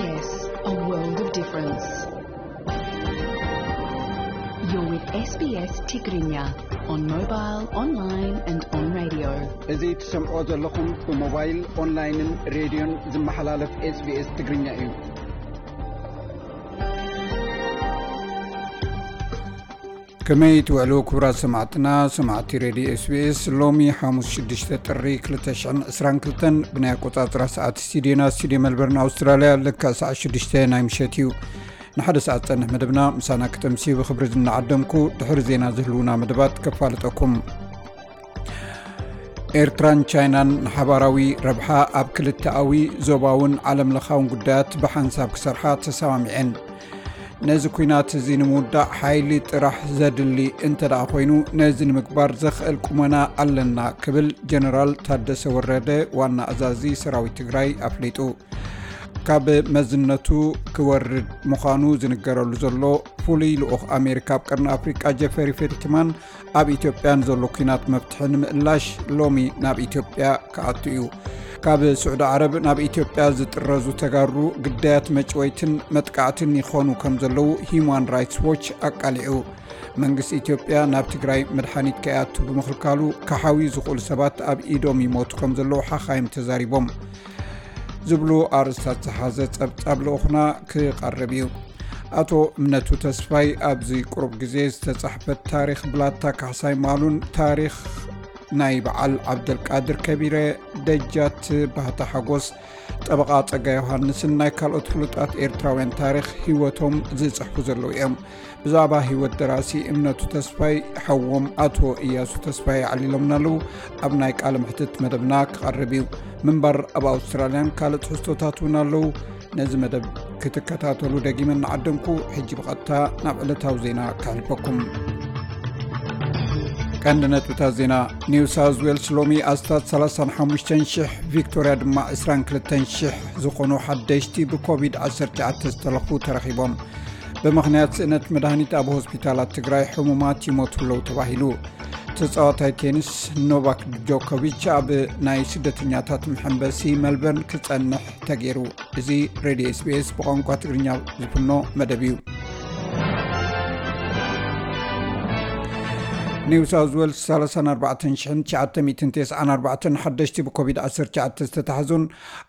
Yes, a world of difference. You're with S B S Tigrinya on mobile, online and on radio. እዚ ትሰምዖ ዘለኹም ብሞባይል፣ ኦንላይንን ሬድዮን ዝመሓላለፍ SBS ትግርኛ እዩ። ከመይ ትውዕሉ ክቡራት ሰማዕትና፣ ሰማዕቲ ሬድዮ SBS? ሎሚ ሓሙስ ሽዱሽተ ጥሪ ክልተ ሽሕን ዕስራን ክልተን ብናይ ኣቆጻጽራ ሰዓት ስቱዲዮና፣ ስቱዲዮ መልበርን ኣውስትራልያ፣ ልክዕ ሰዓት ሽዱሽተ ናይ ምሸት እዩ። ንሓደ ሰዓት ዝጸንሕ መደብና ምሳና ክተምስዩ ብኽብሪ ዝናዓደምኩ፣ ድሕሪ ዜና ዝህልውና መደባት ከፋልጠኩም። ኤርትራን ቻይናን ንሓባራዊ ረብሓ ኣብ ክልተኣዊ፣ ዞባውን ዓለምለኻውን ጉዳያት ብሓንሳብ ክሰርሓ ተሰማሚዐን። ነዚ ኲናት እዚ ንምውዳእ ሓይሊ ጥራሕ ዘድሊ እንተ ደኣ ኮይኑ፣ ነዚ ንምግባር ዘኽእል ቁመና ኣለና ክብል ጀነራል ታደሰ ወረደ፣ ዋና ኣዛዚ ሰራዊት ትግራይ፣ ኣፍሊጡ። ካብ መዝነቱ ክወርድ ምዃኑ ዝንገረሉ ዘሎ ፍሉይ ልኡኽ ኣሜሪካ ኣብ ቀርኒ ኣፍሪቃ ጀፈሪ ፌልትማን፣ ኣብ ኢትዮጵያ ንዘሎ ኲናት መፍትሒ ንምእላሽ ሎሚ ናብ ኢትዮጵያ ክኣቱ እዩ። ካብ ስዑዲ ዓረብ ናብ ኢትዮጵያ ዝጥረዙ ተጋሩ ግዳያት መጭወይትን መጥቃዕትን ይኾኑ ከም ዘለዉ ሂዩማን ራይትስ ዎች ኣቃሊዑ። መንግስቲ ኢትዮጵያ ናብ ትግራይ መድሓኒት ከይኣቱ ብምኽልካሉ፣ ክሓውዩ ዝኽእሉ ሰባት ኣብ ኢዶም ይሞቱ ከም ዘለዉ ሓኻይም ተዛሪቦም። ዝብሉ ኣርእስታት ዝሓዘ ጸብጻብ ልኡኽና ክቐርብ እዩ። ኣቶ እምነቱ ተስፋይ ኣብዚ ቁሩብ ግዜ ዝተጻሕፈት ታሪኽ ብላታ ካሕሳይ ማሉን ታሪኽ ናይ በዓል ዓብደልቃድር ከቢረ፣ ደጃት ባህታ ሓጎስ፣ ጠበቓ ጸጋ ዮሃንስን ናይ ካልኦት ፍሉጣት ኤርትራውያን ታሪኽ ህይወቶም ዝጽሕፉ ዘለዉ እዮም። ብዛዕባ ህይወት ደራሲ እምነቱ ተስፋይ፣ ሓዎም ኣቶ እያሱ ተስፋይ ኣዕሊሎምና ኣለዉ። ኣብ ናይ ቃለ መሕትት መደብና ክቐርብ እዩ። ምንባር ኣብ ኣውስትራልያን ካልእ ትሕዝቶታት እውን ኣለዉ። ነዚ መደብ ክትከታተሉ ደጊመ እናዓደምኩ፣ ሕጂ ብቐጥታ ናብ ዕለታዊ ዜና ከሕልፈኩም። ቀንዲ ነጥብታት ዜና። ኒው ሳውዝ ዌልስ ሎሚ ኣስታት ሰላሳን ሓሙሽተን ሽሕ፣ ቪክቶርያ ድማ ዕስራን ክልተን ሽሕ ዝኾኑ ሓደሽቲ ብኮቪድ ዓሰርተ ትሽዓተ ዝተለኽፉ ተረኺቦም። ብምኽንያት ስእነት መድሃኒት ኣብ ሆስፒታላት ትግራይ ሕሙማት ይሞቱ ኣለዉ ተባሂሉ። ተጻዋታይ ቴኒስ ኖቫክ ጆኮቪች ኣብ ናይ ስደተኛታት መሐንበሲ መልበርን ክጸንሕ ተገይሩ። እዚ ሬድዮ SBS ብቋንቋ ትግርኛ ዝፍኖ መደብ እዩ። ኒው ሳውዝ ዌልስ ሰላሳን ኣርባዕተን ሽሕን ትሽዓተ ሚእትን ተስዓን ኣርባዕተን ሓደሽቲ ብኮቪድ ዓሰርተ ትሽዓተ ዝተታሕዙን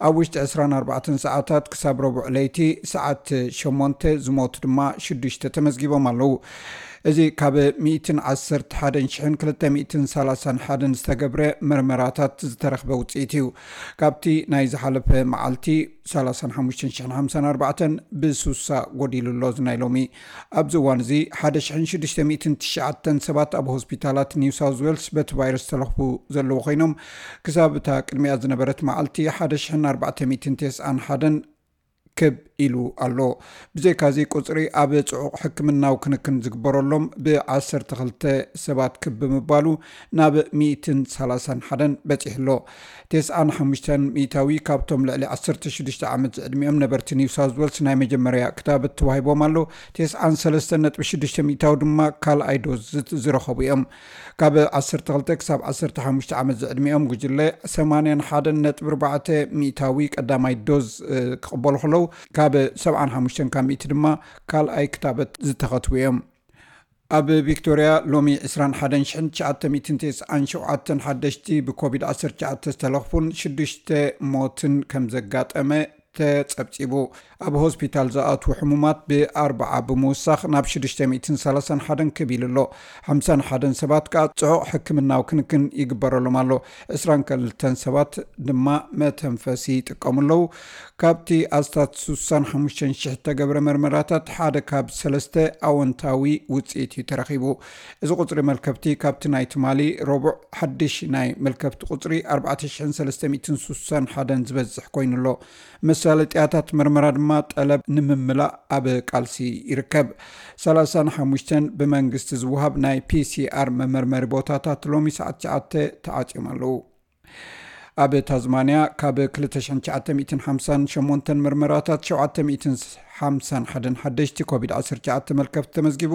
ኣብ ውሽጢ ዕስራን ኣርባዕተን ሰዓታት ክሳብ ረቡዕ ለይቲ ሰዓት ሸሞንተ ዝሞቱ ድማ ሽዱሽተ ተመዝጊቦም ኣለዉ። እዚ ካብ ሚእትን ዓሰርተ ሓደን ሽሕን ክልተ ሚእትን ሰላሳን ሓደን ዝተገብረ መርመራታት ዝተረኽበ ውጽኢት እዩ። ካብቲ ናይ ዝሓለፈ መዓልቲ ሰላሳን ሓሙሽተን ሽሕን ሓምሳን ኣርባዕተን ብሱሳ ጎዲሉ ኣሎ። እዚ ናይ ሎሚ። ኣብዚ እዋን እዚ ሓደ ሽሕን ሽዱሽተ ሚእትን ትሽዓተን ሰባት ኣብ ሆስፒታላት ኒው ሳውዝ ዌልስ በቲ ቫይረስ ዝተለኽፉ ዘለዉ ኮይኖም፣ ክሳብ እታ ቅድሚኣ ዝነበረት መዓልቲ ሓደ ሽሕን ኣርባዕተ ሚእትን ተስዓን ሓደን ክብ ኢሉ ኣሎ። ብዘይካዚ ቁጽሪ ኣብ ጽዑቕ ሕክምናዊ ክንክን ዝግበረሎም ብዓሰርተ ክልተ ሰባት ክብ ብምባሉ ናብ ሚእትን ሰላሳን ሓደን በጺሑ ኣሎ። ተስዓን ሓሙሽተን ሚእታዊ ካብቶም ልዕሊ ዓሰርተ ሽዱሽተ ዓመት ዝዕድሚኦም ነበርቲ ኒው ሳውዝ ዌልስ ናይ መጀመርያ ክታበት ተዋሂቦም ኣሎ። ተስዓን ሰለስተን ነጥቢ ሽዱሽተ ሚእታዊ ድማ ካልኣይ ዶዝ ዝት-፣ ዝረኸቡ እዮም። ካብ ዓሰርተ ክልተ ክሳብ ዓሰርተ ሓሙሽተ ዓመት ዝዕድሚኦም ጉጅለ ሰማንያን ሓደን ነጥቢ ኣርባዕተ ሚእታዊ ቀዳማይ ዶዝ፣ እ፣ ክቕበሉ ከለዉ፣ ካብ ሰብዓን ሓሙሽተን ካብ ሚእቲ ድማ ካልኣይ ክታበት ዝተኸትቡ እዮም። ኣብ ቪክቶርያ ሎሚ ዕስራን ሓደን ሽሕን ትሽዓተ ሚእትን ተስዓን ሸውዓተን ሓደሽቲ ብኮቪድ ዓሰርተ ትሽዓተ ዝተለኽፉን ሽዱሽተ ሞትን ከም ዘጋጠመ ተጸብጺቡ። ኣብ ሆስፒታል ዝኣትዉ ሕሙማት ብኣርብዓ ብምውሳኽ ናብ ሽዱሽተ ሚእትን ሰላሳን ሓደን ክብ ኢሉ ኣሎ። ሓምሳን ሓደን ሰባት ከኣ ጽዑቕ ሕክምናዊ ክንክን ይግበረሎም ኣሎ። ዕስራን ክልተን ሰባት ድማ መተንፈሲ ይጥቀሙ ኣለዉ። ካብቲ ኣስታት ሱሳን ሓሙሽተን ሽሕ እተገብረ መርመራታት ሓደ ካብ ሰለስተ ኣወንታዊ ውጽኢት እዩ ተረኺቡ። እዚ ቁጽሪ መልከፍቲ ካብቲ ናይ ትማሊ ረቡዕ ሓድሽ ናይ መልከፍቲ ቁጽሪ ኣርባዕተ ሽሕን ሰለስተ ሚእትን ሱሳን ሓደን ዝበዝሕ ኮይኑ ኣሎ። መሳለጥያታት መርመራ ድማ ጠለብ ንምምላእ ኣብ ቃልሲ ይርከብ። ሰላሳን ሓሙሽተን ብመንግስቲ ዝወሃብ ናይ ፒሲኣር መመርመሪ ቦታታት ሎሚ ሰዓት ትሽዓተ ተዓጽዮም ኣለዉ። ኣብ ታዝማንያ ካብ ክልተ ሽሕን ትሽዓተ ሚእትን ሓምሳን ሸሞንተን መርመራታት ሸውዓተ ሚእትን ሓምሳን ሓደን ሓደሽቲ ኮቪድ ዓሰርተ ትሽዓተ መልከፍቲ ተመዝጊቡ።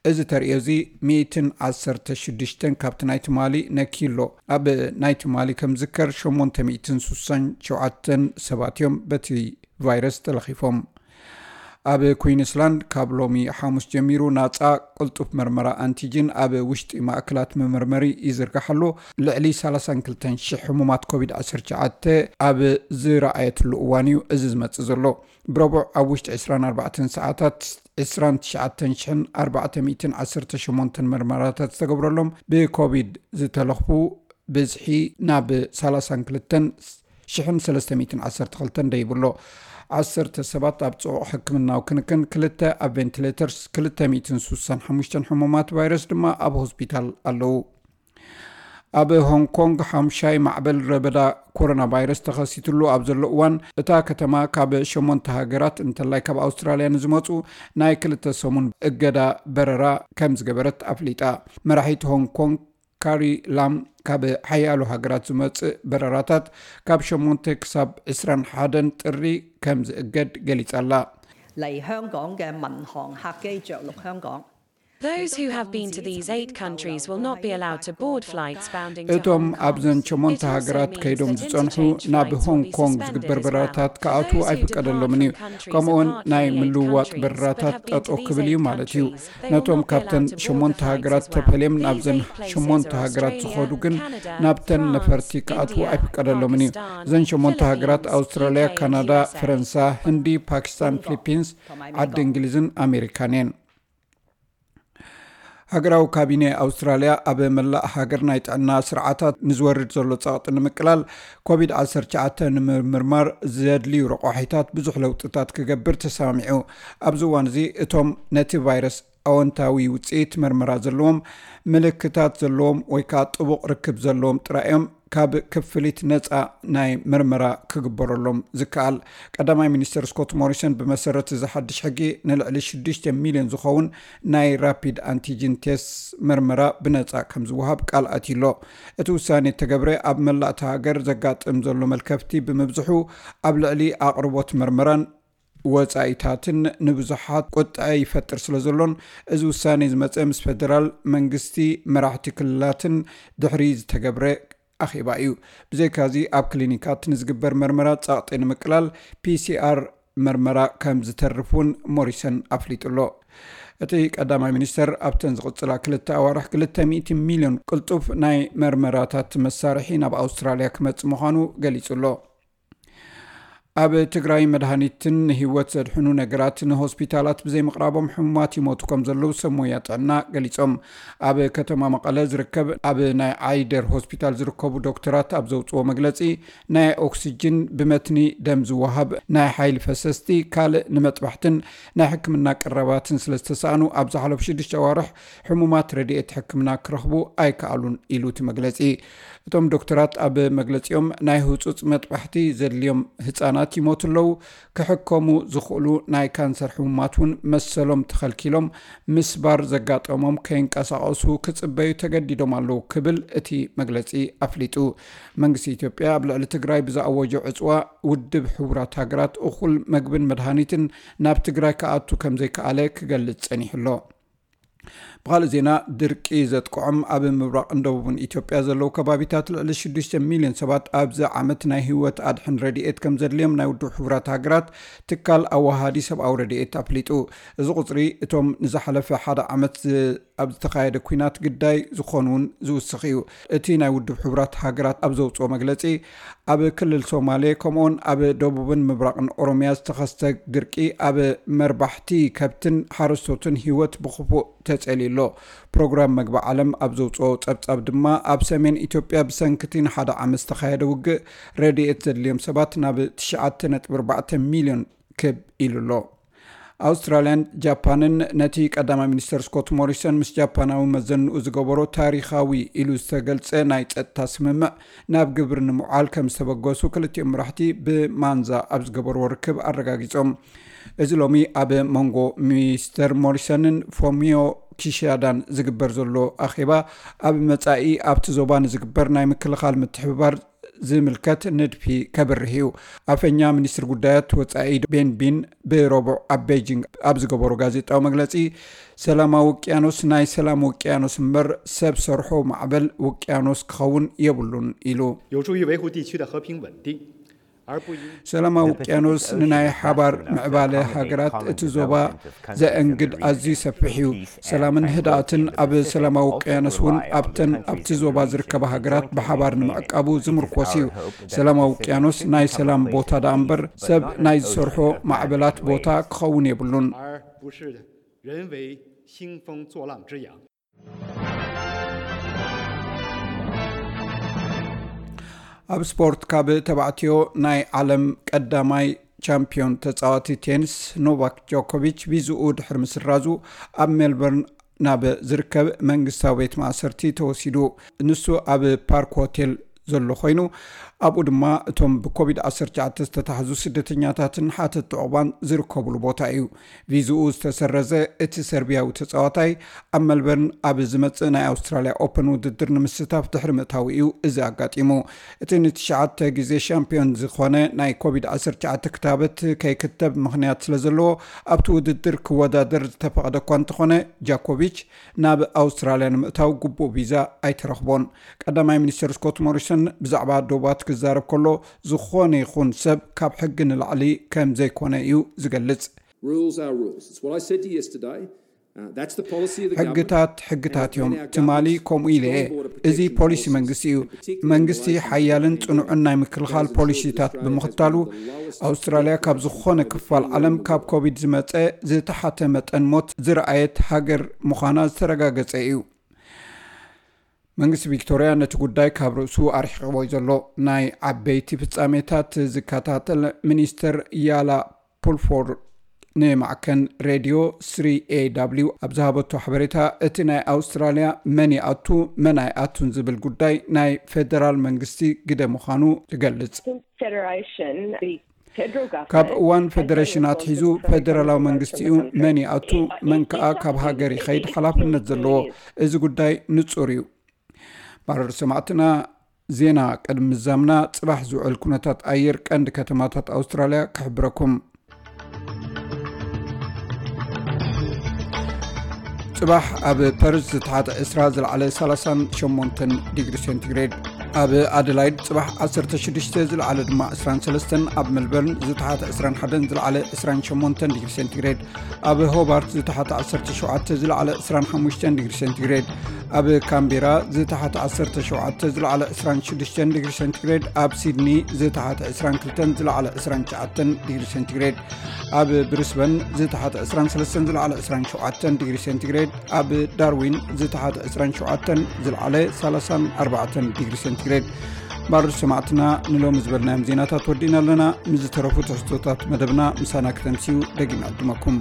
እዚ ተርእዮ እዚ ሚእትን ዓሰርተ ሽዱሽተን ካብቲ ናይ ትማሊ ነኪሎ። ኣብ ናይ ትማሊ ከም ዝከር ሸሞንተ ሚእትን ሱሳን ሸውዓተን ሰባት እዮም በቲ ቫይረስ ተለኺፎም። ኣብ ኩዊንስላንድ ካብ ሎሚ ሓሙስ ጀሚሩ ናጻ ቅልጡፍ መርመራ ኣንቲጅን ኣብ ውሽጢ ማእከላት መመርመሪ ይዝርጋሕ ኣሎ። ልዕሊ ሰላሳን ክልተን ሽሕ ሕሙማት ኮቪድ ዓሰርተ ትሽዓተ ኣብ ዝረኣየትሉ እዋን እዩ እዚ ዝመጽእ ዘሎ። ብረቡዕ ኣብ ውሽጢ ዕስራን ኣርባዕተን ሰዓታት ዕስራን ትሽዓተን ሽሕን ኣርባዕተ ሚእትን ዓሰርተ ሸሞንተን መርመራታት ዝተገብረሎም ብኮቪድ ዝተለኽፉ ብዝሒ ናብ ሰላሳን ክልተን ሽሕን ሰለስተ ሚእትን ዓሰርተ ክልተን ደይብሎ። ዓሰርተ ሰባት ኣብ ጽዑቕ ሕክምናዊ ክንክን፣ ክልተ ኣብ ቬንቲሌተርስ፣ ክልተ ሚእትን ስሳን ሓሙሽተን ሕሙማት ቫይረስ ድማ ኣብ ሆስፒታል ኣለዉ። ኣብ ሆንግ ኮንግ ሓምሻይ ማዕበል ረበዳ ኮሮና ቫይረስ ተኸሲትሉ ኣብ ዘሎ እዋን፣ እታ ከተማ ካብ ሸሞንተ ሃገራት እንተላይ ካብ ኣውስትራልያ ንዝመጹ ናይ ክልተ ሰሙን እገዳ በረራ ከም ዝገበረት ኣፍሊጣ። መራሒት ሆንግ ኮንግ ካሪ ላም፣ ካብ ሓያሎ ሃገራት ዝመጽእ በረራታት ካብ ሸሞንተ ክሳብ ዕስራን ሓደን ጥሪ ከም ዝእገድ ገሊጻ ኣላ። 嚟香港嘅民航客機着陸香港。 Those who have been to these eight countries will not be allowed to board flights bound in እቶም ኣብዘን ሸሞንተ ሃገራት ከይዶም ዝጸንሑ ናብ ሆንግ ኮንግ ዝግበር በረራታት ክኣትዉ ኣይፍቀደሎምን እዩ። ከምኡውን ናይ ምልውዋጥ በረራታት ጠጠው ክብል እዩ ማለት እዩ። ነቶም ካብተን ሸሞንተ ሃገራት ተፈልዮም ናብዘን ሸሞንተ ሃገራት ዝኸዱ ግን ናብተን ነፈርቲ ክኣትዉ ኣይፍቀደሎምን እዩ። እዘን ሸሞንተ ሃገራት ኣውስትራልያ፣ ካናዳ፣ ፈረንሳ፣ ህንዲ፣ ፓኪስታን፣ ፊሊፒንስ፣ ዓዲ እንግሊዝን ኣሜሪካን እየን። ሃገራዊ ካቢኔ ኣውስትራልያ ኣብ መላእ ሃገር ናይ ጥዕና ስርዓታት ንዝወርድ ዘሎ ጸቕጢ ንምቅላል ኮቪድ ዓሰርተ ትሽዓተ ንምምርማር ዘድልዩ ረቋሒታት ብዙሕ ለውጥታት ክገብር ተሰማሚዑ። ኣብዚ እዋን እዚ እቶም ነቲ ቫይረስ ኣወንታዊ ውፅኢት መርመራ ዘለዎም፣ ምልክታት ዘለዎም ወይ ከዓ ጥቡቕ ርክብ ዘለዎም ጥራይ እዮም ካብ ክፍሊት ነፃ ናይ መርመራ ክግበረሎም ዝከኣል። ቀዳማይ ሚኒስተር ስኮት ሞሪሰን ብመሰረት እዚ ሓድሽ ሕጊ ንልዕሊ ሽዱሽተ ሚልዮን ዝኸውን ናይ ራፒድ ኣንቲጅን ቴስት መርመራ ብነፃ ከም ዝወሃብ ቃል ኣትዩሎ። እቲ ውሳኔ እተገብረ ኣብ መላእ እታ ሃገር ዘጋጥም ዘሎ መልከፍቲ ብምብዝሑ ኣብ ልዕሊ ኣቕርቦት መርመራን ወጻኢታትን ንብዙሓት ቁጥዐ ይፈጥር ስለ ዘሎን እዚ ውሳኔ ዝመጸ ምስ ፌደራል መንግስቲ መራሕቲ ክልላትን ድሕሪ ዝተገብረ ኣኼባ እዩ። ብዘይካዚ ኣብ ክሊኒካት ንዝግበር መርመራ ጸቕጢ ንምቅላል ፒሲኣር መርመራ ከም ዝተርፍ እውን ሞሪሰን ኣፍሊጡ ኣሎ። እቲ ቀዳማይ ሚኒስተር ኣብተን ዝቕጽላ ክልተ ኣዋርሕ ክልተ ሚእቲ ሚልዮን ቅልጡፍ ናይ መርመራታት መሳርሒ ናብ ኣውስትራልያ ክመጽእ ምዃኑ ገሊጹ ኣሎ። ኣብ ትግራይ መድሃኒትን ንህይወት ዘድሕኑ ነገራት ንሆስፒታላት ብዘይምቕራቦም ሕሙማት ይሞቱ ከም ዘለዉ ሰብ ሞያ ጥዕና ገሊጾም። ኣብ ከተማ መቐለ ዝርከብ ኣብ ናይ ዓይደር ሆስፒታል ዝርከቡ ዶክተራት ኣብ ዘውፅዎ መግለፂ ናይ ኦክሲጅን ብመትኒ ደም ዝወሃብ ናይ ሓይሊ ፈሰስቲ ካልእ ንመጥባሕትን ናይ ሕክምና ቀረባትን ስለ ዝተሰኣኑ ኣብ ዝሓለፉ ሽዱሽተ ኣዋርሕ ሕሙማት ረድኤት ሕክምና ክረኽቡ ኣይከኣሉን ኢሉ እቲ መግለፂ። እቶም ዶክተራት ኣብ መግለፂኦም ናይ ህፁፅ መጥባሕቲ ዘድልዮም ህፃናት ይሞቱ ኣለዉ። ክሕከሙ ዝኽእሉ ናይ ካንሰር ሕሙማት እውን መሰሎም ተኸልኪሎም ምስባር ዘጋጠሞም ከይንቀሳቐሱ ክፅበዩ ተገዲዶም ኣለዉ ክብል እቲ መግለፂ ኣፍሊጡ። መንግስቲ ኢትዮጵያ ኣብ ልዕሊ ትግራይ ብዝኣወጆ ዕፅዋ ውድብ ሕቡራት ሃገራት እኹል መግብን መድሃኒትን ናብ ትግራይ ክኣቱ ከም ዘይከኣለ ክገልፅ ፀኒሑ ኣሎ። ብኻልእ ዜና ድርቂ ዘጥቅዖም ኣብ ምብራቕን ደቡብን ኢትዮጵያ ዘለዉ ከባቢታት ልዕሊ ሽዱሽተ ሚልዮን ሰባት ኣብዚ ዓመት ናይ ህይወት ኣድሕን ረድኤት ከም ዘድልዮም ናይ ውድብ ሕቡራት ሃገራት ትካል ኣወሃዲ ሰብኣዊ ረድኤት ኣፍሊጡ። እዚ ቁፅሪ እቶም ንዝሓለፈ ሓደ ዓመት ኣብ ዝተኻየደ ኲናት ግዳይ ዝኾኑን ዝውስኽ እዩ። እቲ ናይ ውድብ ሕቡራት ሃገራት ኣብ ዘውፅኦ መግለፂ ኣብ ክልል ሶማሌ ከምኡውን ኣብ ደቡብን ምብራቕን ኦሮሚያ ዝተኸስተ ድርቂ ኣብ መርባሕቲ ከብትን ሓረስቶትን ህይወት ብኽፉእ ተጸልዩ ኣሎ። ፕሮግራም መግቢ ዓለም ኣብ ዘውፅኦ ጸብጻብ ድማ ኣብ ሰሜን ኢትዮጵያ ብሰንክቲ ንሓደ ዓመት ዝተኻየደ ውግእ ረድኤት ዘድልዮም ሰባት ናብ ትሽዓተ ነጥቢ ኣርባዕተ ሚልዮን ክብ ኢሉ ኣሎ። ኣውስትራልያን ጃፓንን ነቲ ቀዳማይ ሚኒስተር ስኮት ሞሪሰን ምስ ጃፓናዊ መዘንኡ ዝገበሮ ታሪኻዊ ኢሉ ዝተገልጸ ናይ ጸጥታ ስምምዕ ናብ ግብሪ ንምውዓል ከም ዝተበገሱ ክልቲኦም መራሕቲ ብማንዛ ኣብ ዝገበርዎ ርክብ ኣረጋጊጾም። እዚ ሎሚ ኣብ መንጎ ሚስተር ሞሪሰንን ፎሚዮ ኪሻዳን ዝግበር ዘሎ ኣኼባ ኣብ መጻኢ ኣብቲ ዞባ ንዝግበር ናይ ምክልኻል ምትሕብባር ዝምልከት ንድፊ ከብርህ እዩ። ኣፈኛ ሚኒስትሪ ጉዳያት ወጻኢ ቤን ቢን ብረቡዕ ኣብ ቤጂንግ ኣብ ዝገበሮ ጋዜጣዊ መግለጺ ሰላማዊ ውቅያኖስ ናይ ሰላም ውቅያኖስ እምበር ሰብ ሰርሖ ማዕበል ውቅያኖስ ክኸውን የብሉን ኢሉ። 有助于维护地区的和平稳定。ሰላማዊ ውቅያኖስ ንናይ ሓባር ምዕባለ ሃገራት እቲ ዞባ ዘእንግድ ኣዝዩ ሰፊሕ እዩ። ሰላምን ህድኣትን ኣብ ሰላማዊ ውቅያኖስ እውን ኣብተን ኣብቲ ዞባ ዝርከባ ሃገራት ብሓባር ንምዕቃቡ ዝምርኮስ እዩ። ሰላማዊ ውቅያኖስ ናይ ሰላም ቦታ ደኣ እምበር ሰብ ናይ ዝሰርሖ ማዕበላት ቦታ ክኸውን የብሉን። 而不是人为兴风作浪之阳。 ኣብ ስፖርት፣ ካብ ተባዕትዮ ናይ ዓለም ቀዳማይ ቻምፒዮን ተጻዋቲ ቴኒስ ኖቫክ ጆኮቪች ቪዝኡ ድሕሪ ምስራዙ ኣብ ሜልበርን ናብ ዝርከብ መንግስታዊ ቤት ማእሰርቲ ተወሲዱ። ንሱ ኣብ ፓርክ ሆቴል ዘሎ ኮይኑ፣ ኣብኡ ድማ እቶም ብኮቪድ ዓሰርተ ትሽዓተ ዝተታሕዙ ስደተኛታትን ሓተቲ ዑቕባን ዝርከብሉ ቦታ እዩ። ቪዝኡ ዝተሰረዘ እቲ ሰርቢያዊ ተጻዋታይ ኣብ መልበርን ኣብ ዝመጽእ ናይ ኣውስትራልያ ኦፐን ውድድር ንምስታፍ ድሕሪ ምእታው እዩ እዚ ኣጋጢሙ። እቲ ንትሽዓተ ግዜ ሻምፒዮን ዝኾነ ናይ ኮቪድ ዓሰርተ ትሽዓተ ክታበት ከይክተብ ምኽንያት ስለ ዘለዎ ኣብቲ ውድድር ክወዳደር ዝተፈቐደ እኳ እንተኾነ ጃኮቪች ናብ ኣውስትራልያ ንምእታው ግቡእ ቪዛ ኣይተረኽቦን። ቀዳማይ ሚኒስትር ስኮት ሞሪሰን ብዛዕባ ዶባት ክዛረብ ከሎ ዝኾነ ይኹን ሰብ ካብ ሕጊ ንላዕሊ ከም ዘይኮነ እዩ ዝገልጽ። Rules are rules. It's what I said to you yesterday. Uh, that's the policy of the government. ሕግታት ሕግታት እዮም። ትማሊ ከምኡ ኢለ እየ። እዚ ፖሊሲ መንግስቲ እዩ። መንግስቲ ሓያልን ጽኑዕን ናይ ምክልኻል ፖሊሲታት ብምኽታሉ ኣውስትራልያ ካብ ዝኾነ ክፋል ዓለም ካብ ኮቪድ ዝመጸ ዝተሓተ መጠን ሞት ዝረኣየት ሃገር ምዃና ዝተረጋገጸ እዩ። መንግስቲ ቪክቶርያ ነቲ ጉዳይ ካብ ርእሱ ኣርሒቕዎ እዩ ዘሎ። ናይ ዓበይቲ ፍጻሜታት ዝከታተል ሚኒስተር ያላ ፑልፎርድ ንማዕከን ሬድዮ ስሪ ኤ ዳብሊው ኣብ ዝሃበቶ ሓበሬታ፣ እቲ ናይ ኣውስትራልያ መን ይኣቱ መን ኣይኣቱን ዝብል ጉዳይ ናይ ፌደራል መንግስቲ ግደ ምዃኑ ትገልጽ። ካብ እዋን ፌደሬሽን ኣትሒዙ ፌደራላዊ መንግስቲ እዩ መን ይኣቱ መን ከኣ ካብ ሃገር ይኸይድ ሓላፍነት ዘለዎ። እዚ ጉዳይ ንጹር እዩ። ባረር ሰማዕትና፣ ዜና ቅድሚ ምዛምና ጽባሕ ዝውዕል ኩነታት ኣየር ቀንዲ ከተማታት ኣውስትራልያ ክሕብረኩም። ጽባሕ ኣብ ፐርዝ ዝተሓተ ዕስራ ዝለዓለ ሰላሳን ሸሞንተን ዲግሪ ሴንቲግሬድ፣ ኣብ ኣደላይድ ጽባሕ ዓሰርተ ሽዱሽተ ዝለዓለ ድማ ዕስራን ሰለስተን፣ ኣብ ሜልበርን ዝተሓተ ዕስራን ሓደን ዝለዓለ ዕስራን ሸሞንተን ዲግሪ ሴንቲግሬድ፣ ኣብ ሆባርት ዝተሓተ ዓሰርተ ሸውዓተ ዝለዓለ ዕስራን ሓሙሽተን ዲግሪ ሴንቲግሬድ፣ ኣብ ካምቤራ ዝተሓተ ዓሰርተ ሸውዓተ ዝለዓለ ዕስራን ሽዱሽተን ዲግሪ ሴንቲግሬድ፣ ኣብ ሲድኒ ዝተሓተ ዕስራን ክልተን ዝለዓለ ዕስራን ትሽዓተን ዲግሪ ሴንቲግሬድ፣ ኣብ ብሪስበን ዝተሓተ ዕስራን ሰለስተን ዝለዓለ ዕስራን ሸውዓተን ዲግሪ ሴንቲግሬድ፣ ኣብ ዳርዊን ዝተሓተ ዕስራን ሸውዓተን ዝለዓለ ሰላሳን ኣርባዕተን ዲግሪ ሴንቲግሬድ። ባርድ ሰማዕትና ንሎሚ ዝበልናዮም ዜናታት ወዲእና ኣለና። ምስ ዝተረፉ ትሕዝቶታት መደብና ምሳና ክተምስዩ ደጊም ዕድመኩም።